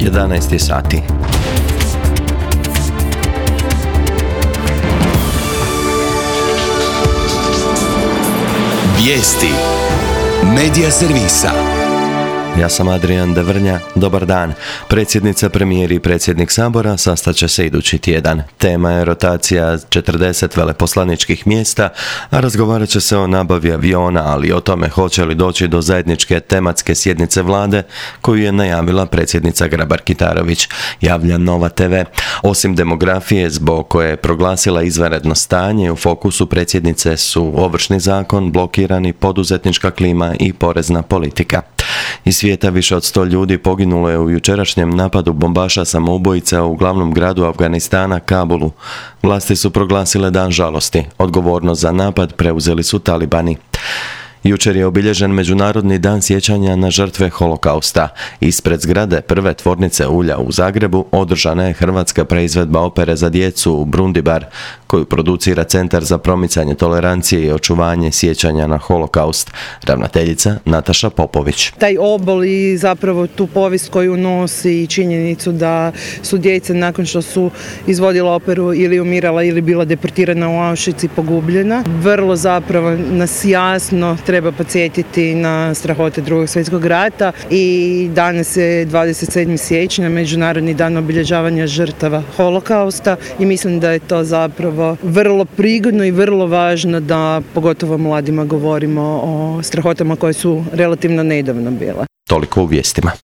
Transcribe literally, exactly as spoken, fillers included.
jedanaest je sati. Vijesti Medija servisa. Ja sam Adrian Devrnja, dobar dan. Predsjednica, premijer i predsjednik Sabora sastaće se idući tjedan. Tema je rotacija četrdeset veleposlaničkih mjesta, a razgovarat će se o nabavi aviona, ali i o tome hoće li doći do zajedničke tematske sjednice vlade koju je najavila predsjednica Grabar-Kitarović, javlja Nova te ve. Osim demografije, zbog koje je proglasila izvanredno stanje, u fokusu predsjednice su Ovršni zakon, blokirani, poduzetnička klima i porezna politika. Iz svijeta više od sto ljudi poginulo je u jučerašnjem napadu bombaša samoubojica u glavnom gradu Afganistana, Kabulu. Vlasti su proglasile dan žalosti. Odgovornost za napad preuzeli su talibani. Jučer je obilježen Međunarodni dan sjećanja na žrtve holokausta. Ispred zgrade prve tvornice ulja u Zagrebu održana je hrvatska preizvedba opere za djecu u Brundibar, koju producira Centar za promicanje tolerancije i očuvanje sjećanja na holokaust. Ravnateljica Nataša Popović. Taj obol i zapravo tu povijest koju nosi i činjenicu da su djeca nakon što su izvodila operu ili umirala ili bila deportirana u Auschwitz i pogubljena. Vrlo zapravo nas jasno treba podsjetiti na strahote Drugog svjetskog rata i danas je dvadeset sedmog siječnja, Međunarodni dan obilježavanja žrtava holokausta i mislim da je to zapravo vrlo prigodno i vrlo važno da pogotovo mladima govorimo o strahotama koje su relativno nedavno bile. Toliko u vijestima.